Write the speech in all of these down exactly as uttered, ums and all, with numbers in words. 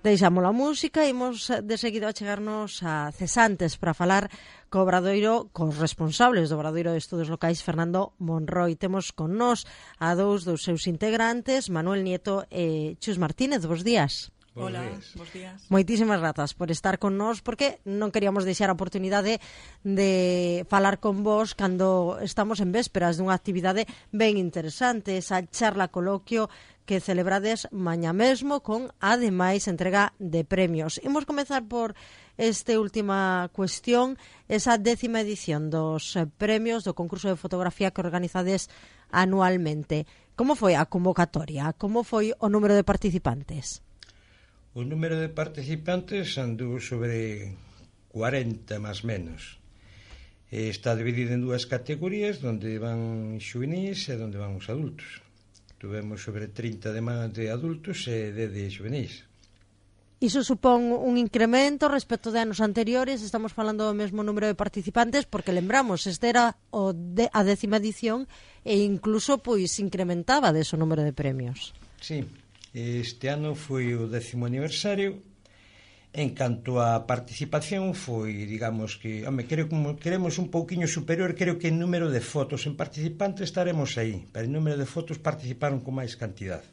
deixamos a música e imos de seguido a chegarnos a Cesantes para falar co Obradoiro, cos responsables do Obradoiro de Estudos Locais, Fernando Monroi. Temos con nós a dous dos seus integrantes, Manuel Nieto e Chus Martínez. Bos días. Hola, bos días. Moitísimas grazas por estar con nós, porque non queríamos deixar a oportunidade de falar con vos cando estamos en vésperas dunha actividade ben interesante, esa charla coloquio que celebrades mañá mesmo con, ademais, entrega de premios. Imos comezar por esta última cuestión, esa décima edición dos premios do concurso de fotografía que organizades anualmente. Como foi a convocatoria? Como foi o número de participantes? O número de participantes andou sobre cuarenta, máis menos. Está dividido en dúas categorías, onde van xuvenís e onde van os adultos. Tuvemos sobre trinta de, de adultos e dez de xuvenís. Iso supón un incremento respecto de anos anteriores? Estamos falando do mesmo número de participantes, porque lembramos, este era o de, a décima edición e incluso pois incrementaba deso número de premios. Sí. Este ano foi o décimo aniversario. En canto a participación foi, digamos que, home, creo, como queremos un pouquiño superior, creo que en número de fotos en participantes estaremos aí, pero en número de fotos participaron con máis cantidad.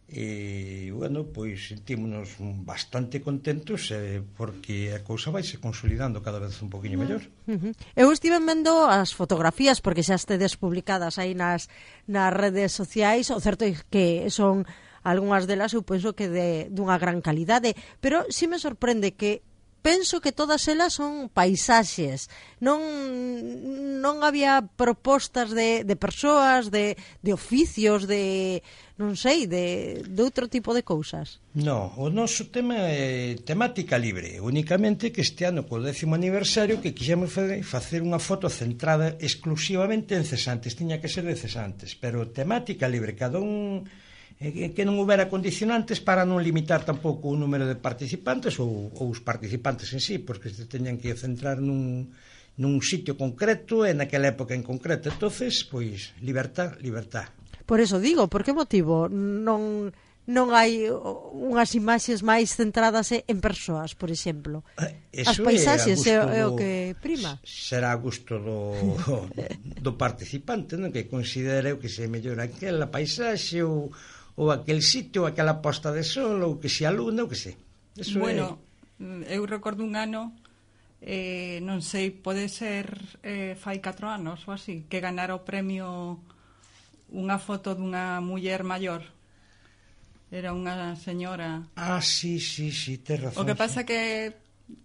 E, bueno, pois sentímonos bastante contentos eh, porque a cousa vai se consolidando cada vez un poquinho mellor. Uh-huh. Eu estive vendo as fotografías porque xa estedes publicadas aí nas, nas redes sociais. O certo é que son algunhas delas, eu penso que de dunha gran calidade, pero si me sorprende que penso que todas elas son paisaxes. Non non había propostas de, de persoas, de, de oficios, de, non sei, de, de outro tipo de cousas. No, o noso tema é temática libre, únicamente que este ano, co décimo aniversario, que quixemos facer unha foto centrada exclusivamente en cesantes, tiña que ser de cesantes, pero temática libre, cada un que non houbera condicionantes para non limitar tampouco o número de participantes ou, ou os participantes en sí, porque se teñan que centrar nun, nun sitio concreto e naquela época en concreto. Entonces, pois, libertad, libertad. Por eso digo, por que motivo non non hai unhas imaxes máis centradas en persoas, por exemplo? Eso as paisaxes é, é, é o que prima. Será a gusto do, do participante, non? Que considere que se mellor aquela paisaxe ou ou aquel sitio, ou aquela posta de sol, ou que se a luna, ou que se. Eso bueno, é... eu recordo un ano, eh, non sei, pode ser eh, fai catro anos ou así, que ganara o premio unha foto dunha muller maior. Era unha señora. Ah, sí, sí, sí, tes razón. O que pasa sí. que,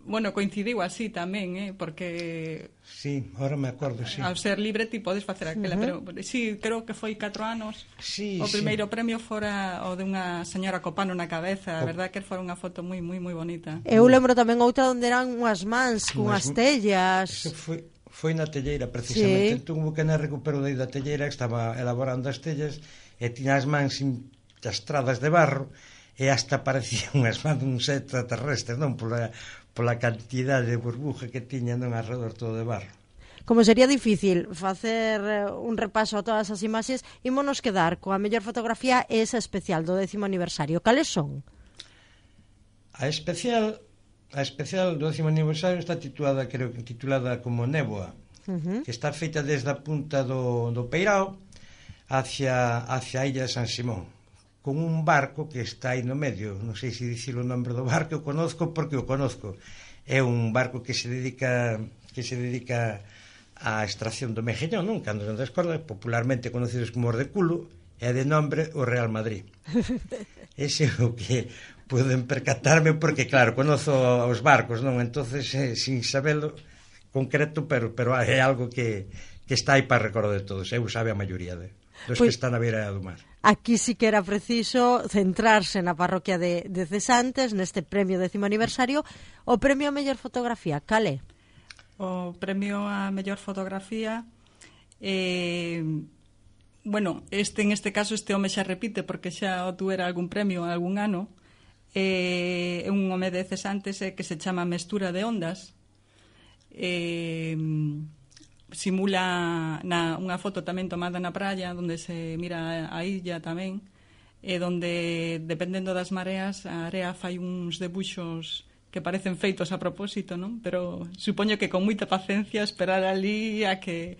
bueno, coincidiu así tamén, eh, porque... Sí, ahora me acordo, sí. Ao ser libre ti podes facer aquela, uh-huh. pero sí, creo que foi catro anos. Sí, o primeiro sí. premio fora o de unha señora co pano na cabeza, a verdad que fora unha foto moi moi moi bonita. Eu lembro tamén outra onde eran unhas mans con unhas tellas. Eso foi foi na telleira precisamente, sí. Entón, que na recupero da telleira que estaba elaborando as tellas e tiña as mans enchastradas de barro e hasta parecían unhas mans uns extraterrestres, non? Pola, pola cantidade de burbuja que tiñan non alrededor todo de barro. Como sería difícil facer un repaso a todas as imaxes, ímonos quedar coa mellor fotografía esa especial do décimo aniversario. Cales son? A especial a especial do décimo aniversario está titulada, creo que titulada como Néboa, uh-huh. que está feita desde a punta do, do Peirao hacia, hacia a illa de San Simón, con un barco que está aí no medio. Non sei se dicir o nombre do barco, o conozco porque o conozco. É un barco que se dedica que se dedica á extracción do mexillón, non? Cando non descorda, popularmente conocidos como os de culo, é de nombre o Real Madrid. Ese é o que poden percatarme, porque claro, conozo os barcos, non? Entonces, eh, sin sabelo concreto, pero pero é algo que, que está aí para recordo de todos. Eu sabe a maioría de dos pues, que están a beira do mar. Aquí sí que era preciso centrarse na parroquia de, de Cesantes, neste premio décimo aniversario. O premio a mellor fotografía, cale? O premio a mellor fotografía, eh, bueno, este en este caso este home xa repite porque xa o tuera algún premio algún ano. É eh, un home de Cesantes eh, que se chama Mestura de Ondas. Eh, simula na, unha foto tamén tomada na praia onde se mira a illa tamén, e donde, dependendo das mareas, a area fai uns debuxos que parecen feitos a propósito, non? Pero supoño que con moita paciencia esperar ali a que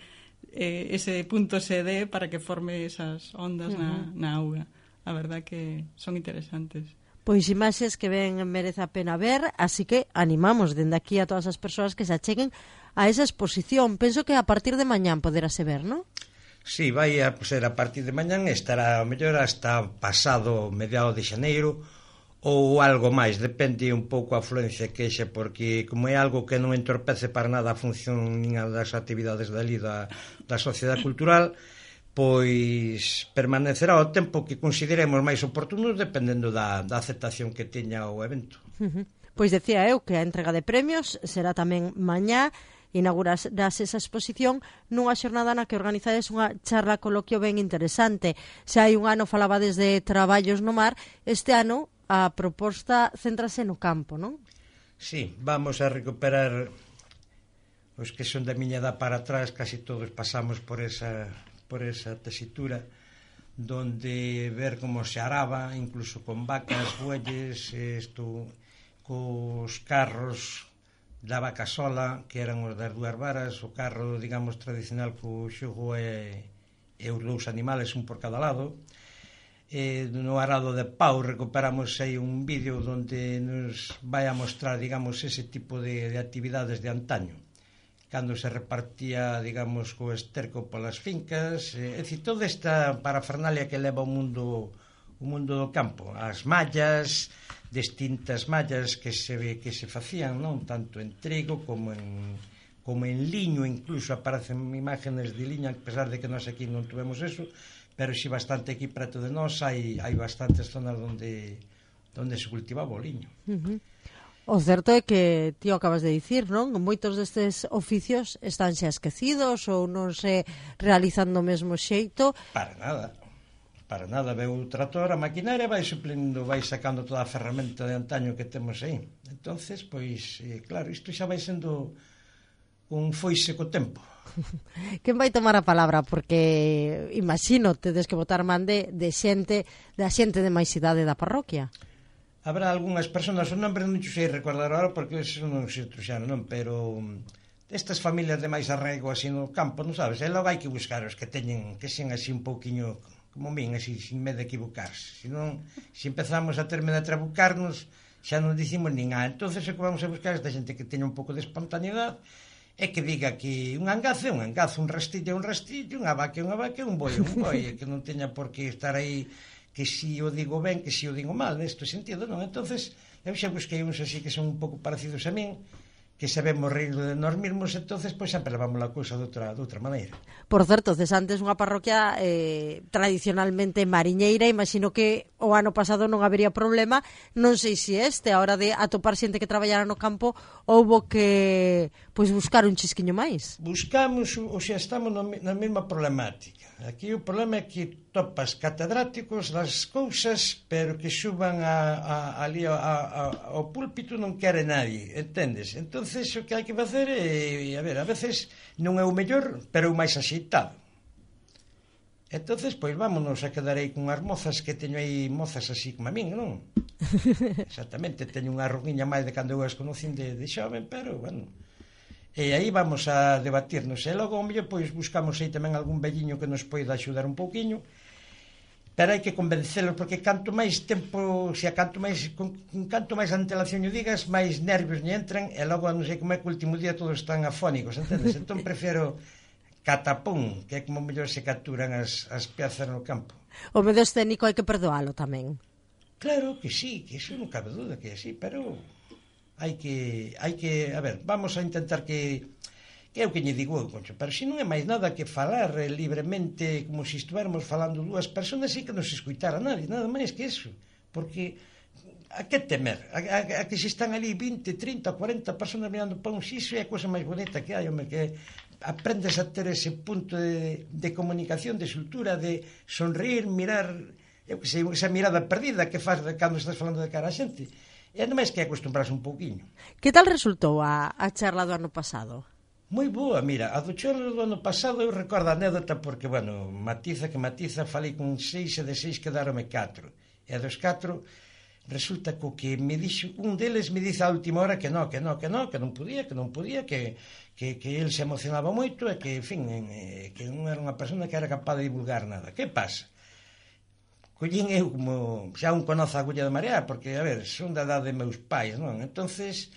eh, ese punto se dé para que forme esas ondas uh-huh. na, na auga. A verdad que son interesantes. Pois imaxes que ben merece a pena ver, así que animamos dende aquí a todas as persoas que se acheguen a esa exposición. Penso que a partir de mañán poderase ver, non? Sí, vai a ser a partir de mañán, estará mellor hasta pasado mediado de xaneiro ou algo máis, depende un pouco a afluencia que xe, porque como é algo que non entorpece para nada a función nin das actividades dali da, da sociedade cultural, pois permanecerá o tempo que consideremos máis oportuno dependendo da, da aceptación que teña o evento. Uh-huh. Pois decía eu que a entrega de premios será tamén mañá, inaugurarás esa exposición nunha xornada na que organizades unha charla coloquio ben interesante. Xa hai un ano falabades de traballos no mar, este ano a proposta céntrase no campo, non? Sí, vamos a recuperar os que son da miña edad para atrás, casi todos pasamos por esa, por esa tesitura, donde ver como se araba, incluso con vacas, bueyes, isto, cos carros da vaca sola, que eran os das dúas varas, o carro, digamos, tradicional co xogo e, e os dous animales, un por cada lado. Eh, no arado de pau recuperamos aí un vídeo onde nos vai a mostrar, digamos, ese tipo de, de actividades de antaño, cando se repartía, digamos, co esterco polas fincas, eh, é dicir, toda esta parafernalia que leva o mundo o mundo do campo, as mallas, distintas mallas que se que se facían, non tanto en trigo como en como en liño, incluso aparecen imágenes de liña, a pesar de que nós aquí non tuvemos eso, pero si bastante aquí preto de nós hai, hai bastantes zonas onde, onde se cultivaba o liño. Uh-huh. O certo é que ti acabas de dicir, non? Moitos destes oficios están xa esquecidos ou non se realizan do mesmo xeito. Para nada, para nada. Veu o trator, a maquinaria, vai suplindo, vai sacando toda a ferramenta de antaño que temos aí. Entonces, pois, eh, claro, isto xa vai sendo un foise co tempo. Quen vai tomar a palabra? Porque imagino tedes que botar man de, de xente da xente de máis idade da parroquia. Habrá algunhas personas, o nombre non sei recordar agora porque eso non se truxaron, non, pero estas familias de máis arraigo así no campo, non sabes, e logo hai que buscar os que teñen, que sean así un pouquiño como min, así, sin medo de equivocarse. Se non, se empezamos a ter medo de trabucarnos, xa non dicimos nin a. Entonces o que vamos a buscar é esta xente que teña un pouco de espontaneidade e que diga que un angazo é un angazo, un rastillo é un rastillo, unha vaca é unha vaca, un boi é un boi, que non teña por que estar aí que si o digo ben, que si o digo mal, neste sentido, non? Entonces, eu xa busquei uns así que son un pouco parecidos a min, que sabemos rir de nós mesmos, entonces, pois sempre levamos a cousa de outra, de outra maneira. Por certo, Cesantes unha parroquia eh, tradicionalmente mariñeira, imagino que o ano pasado non habería problema, non sei se este, a hora de atopar xente que traballara no campo, houbo que pois buscar un chisquiño máis. Buscamos, ou xa estamos no, na mesma problemática. Aquí o problema é que topas catedráticos das cousas, pero que suban a, a, ali a, a, ao púlpito non quere nadie, entendes? Entonces o que hai que facer é, a ver, a veces non é o mellor, pero é o máis axeitado. Entonces, pois vámonos a quedar aí con as mozas que teño aí, mozas así como a min, non? Exactamente, teño unha ruguiña máis de cando eu as conocín de, de xoven, pero, bueno... E aí vamos a debatirnos. E logo, mellor, pois buscamos aí tamén algún velliño que nos poida axudar un pouquiño, pero hai que convencelos, porque canto máis tempo, se a canto máis con, con canto máis antelación o digas, máis nervios lle entran, e logo non sei como é que o último día todos están afónicos, entendes? Entón prefiro catapón, que é como mellor se capturan as, as piezas no campo. O medo escénico hai que perdoalo tamén. Claro que sí, que iso non cabe duda que é así, pero... hai que, hai que, a ver, vamos a intentar que, que é o que lle digo eu, Concho, pero se non é máis nada que falar eh, libremente, como se estuéramos falando dúas personas, e que non se escuitara nadie, nada máis que eso, porque a que temer, a, a, a que se están ali vinte, trinta, cuarenta personas mirando para un xixo é a cousa máis bonita que hai, home, que aprendes a ter ese punto de, de comunicación, de soltura, de sonreír, mirar, eu que sei, esa mirada perdida que faz de cando estás falando de cara a xente. E ademais que acostumbrarse un pouquiño. Que tal resultou a, a charla do ano pasado? Moi boa, mira, a do chorro do ano pasado eu recordo a anécdota porque, bueno, matiza que matiza, falei con seis e de seis quedaronme catro. E dos catro, resulta co que me dixo, un deles me dice a última hora que no, que no, que no, que non podía, que non podía, que, que, que el se emocionaba moito e que, en fin, eh, que non era unha persona que era capaz de divulgar nada. Que pasa? Collín eu como xa un conoce a agulla de marea, porque, a ver, son da edad de meus pais, non? Entonces,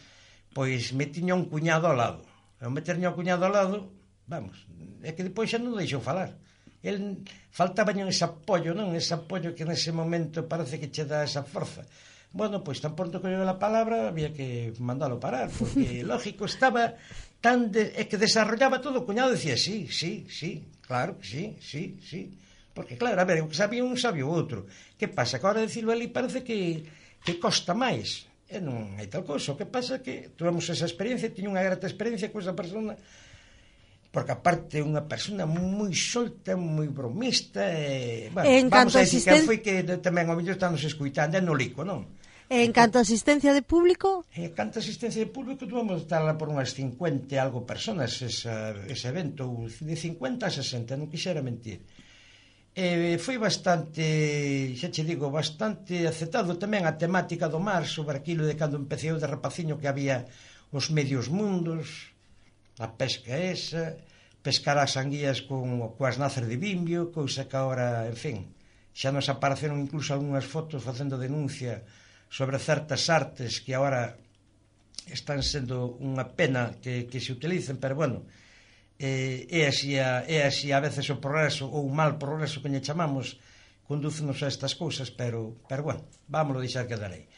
pois me tiña un cuñado ao lado. Ao meterme ao cuñado ao lado, vamos, é que depois xa non deixou falar. El faltaba ese apoio, non? Ese apoio que nese momento parece que che dá esa forza. Bueno, pois tan pronto que oiu a palabra había que mandalo parar, porque lógico estaba tan de, é que desarrollaba todo, o cuñado decía sí, sí, sí, claro que sí, sí, sí. Porque claro, a ver, o que sabía un sabía o outro. Que pasa? Que agora decirlo ali parece que, que costa máis. E non hai tal cousa. O que pasa é que tuvemos esa experiencia, tiño unha grata experiencia con esa persona, porque aparte é unha persona moi solta, moi bromista, e, bueno, en vamos a decir asisten... que foi que tamén ao mellor estamos escuitando, é no lico, non? En canto a asistencia de público? En canto a asistencia de público tuvemos estar por unhas cincuenta e algo personas esa, ese evento, de cincuenta a sesenta, non quixera mentir. Eh, foi bastante, xa che digo, bastante aceptado tamén a temática do mar, sobre aquilo de cando empecé eu de rapaciño que había os medios mundos, a pesca esa, pescar as anguías con, coas nacer de bimbio, cousa que agora, en fin, xa nos apareceron incluso algunhas fotos facendo denuncia sobre certas artes que agora están sendo unha pena que, que se utilicen, pero bueno, eh, é, así a, é así a veces o progreso ou o mal progreso que lle chamamos condúcenos a estas cousas, pero, pero bueno, vámoslo deixar quedar aí.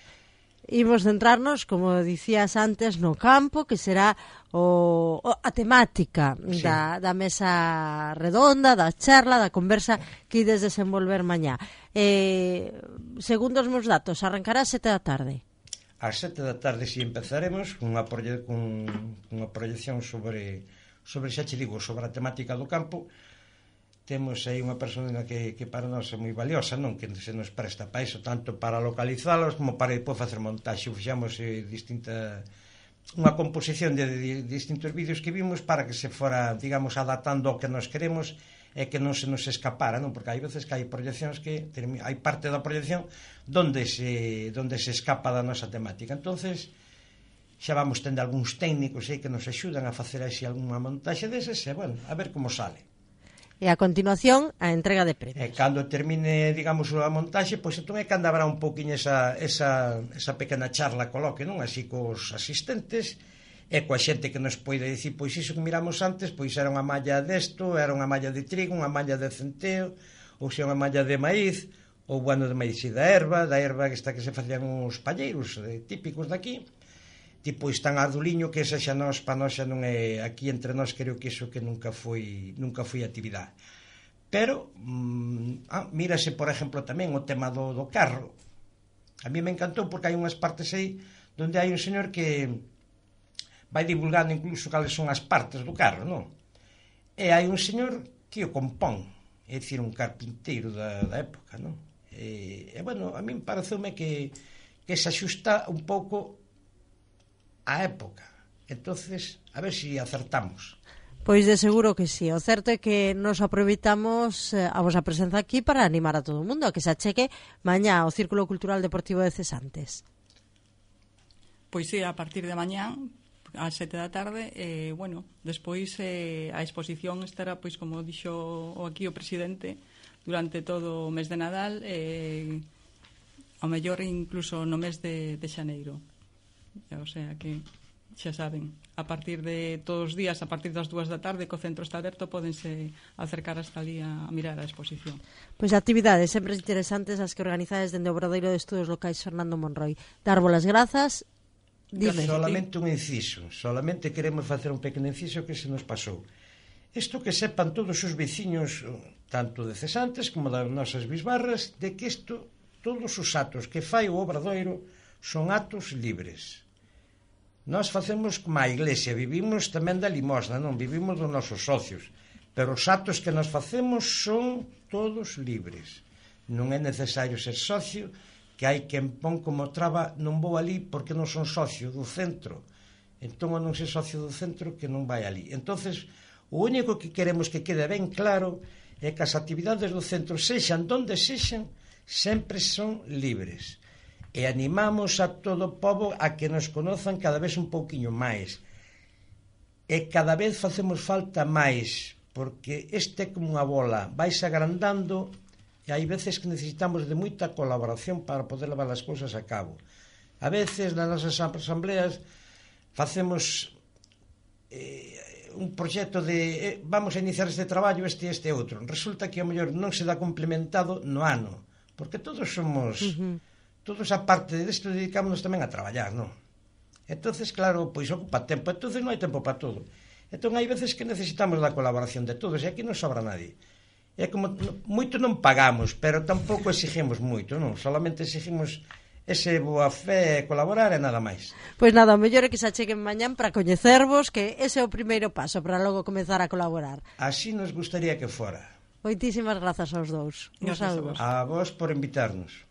Imos centrarnos, como dicías antes, no campo, que será o, o, a temática sí. da, da mesa redonda, da charla, da conversa que ides desenvolver mañá. Eh, segundo os meus datos, arrancará a sete da tarde. Ás sete da tarde si empezaremos con unha, proye con unha proyección sobre, sobre, xa che digo, sobre a temática do campo. Temos aí unha persona que, que para nós é moi valiosa, non? Que se nos presta para iso, tanto para localizalos como para depois facer montaxe. Fixamos eh, distinta unha composición de, de, de distintos vídeos que vimos para que se fora, digamos, adaptando ao que nos queremos e que non se nos escapara, non? Porque hai veces que hai proyeccións que hai parte da proyección donde se donde se escapa da nosa temática. Entonces, xa vamos tendo algúns técnicos aí que nos axudan a facer así algunha montaxe deses e, bueno, a ver como sale. E a continuación, a entrega de premios. E cando termine, digamos, a montaxe, pois entón é cando habrá un pouquiño esa, esa, esa pequena charla, coloque, non? Así cos asistentes e coa xente que nos poida dicir, pois iso que miramos antes, pois era unha malla desto, era unha malla de trigo, unha malla de centeo, ou xa unha malla de maíz, ou bueno, de maíz e da erva, da erva que está que se facían uns palleiros eh, típicos daqui. Tipo están arduliño, que esa xa nos, pa nós xa non é, aquí entre nós creo que iso que nunca foi nunca foi actividade. Pero mm, ah, mírase, por exemplo, tamén o tema do, do carro. A mí me encantou porque hai unhas partes aí donde hai un señor que vai divulgando incluso cales son as partes do carro, non? E hai un señor que o compón, é dicir, un carpinteiro da, da época, non? E, e bueno, a mí pareceume que, que se axusta un pouco a época. Entonces, a ver se si acertamos. Pois de seguro que sí. O certo é que nos aproveitamos eh, a vosa presenza aquí para animar a todo o mundo a que se acheque mañá ao Círculo Cultural Deportivo de Cesantes. Pois sí, a partir de mañá ás sete da tarde, e, eh, bueno, despois eh, a exposición estará, pois como dixo aquí o presidente, durante todo o mes de Nadal, e eh, ao mellor incluso no mes de, de xaneiro. O sea que xa saben, a partir de todos os días, a partir das dúas da tarde, que o centro está aberto, pódense acercar hasta ali a, a mirar a exposición. Pois actividades sempre interesantes as que organizades dende o Obradoiro de Estudos Locais Fernando Monroi. Darvos as grazas. Dime. Solamente un inciso, solamente queremos facer un pequeno inciso que se nos pasou. Isto que sepan todos os veciños, tanto de Cesantes como das nosas bisbarras, de que isto, todos os atos que fai o Obradoiro son atos libres. Nós facemos como a Iglesia, vivimos tamén da limosna, non vivimos dos nosos socios, pero os atos que nós facemos son todos libres. Non é necesario ser socio, que hai quen pon como traba, non vou ali porque non son socio do centro. entón non se socio do centro que non vai ali. Entonces, o único que queremos que quede ben claro é que as actividades do centro, sexan donde sexan, sempre son libres. E animamos a todo o pobo a que nos conozan cada vez un pouquiño máis. E cada vez facemos falta máis, porque este é como unha bola, vais agrandando, e hai veces que necesitamos de moita colaboración para poder levar as cousas a cabo. A veces, nas nosas asambleas, facemos eh, un proxecto de eh, vamos a iniciar este traballo, este e este outro. Resulta que, ao mellor, non se dá complementado no ano, porque todos somos... Uh-huh. Todos, a parte desto, dedicámonos tamén a traballar, non? Entonces, claro, pois ocupa tempo. Entonces non hai tempo para todo. Entón, hai veces que necesitamos da colaboración de todos, e aquí non sobra nadie. É como, moito non pagamos, pero tampouco exigimos moito, non? Solamente exigimos ese boa fe e colaborar e nada máis. Pois nada, o mellor é que se acheguen mañán para coñecervos, que ese é o primeiro paso para logo comezar a colaborar. Así nos gustaría que fora. Moitísimas grazas aos dous. Un saúdo. A vos por invitarnos.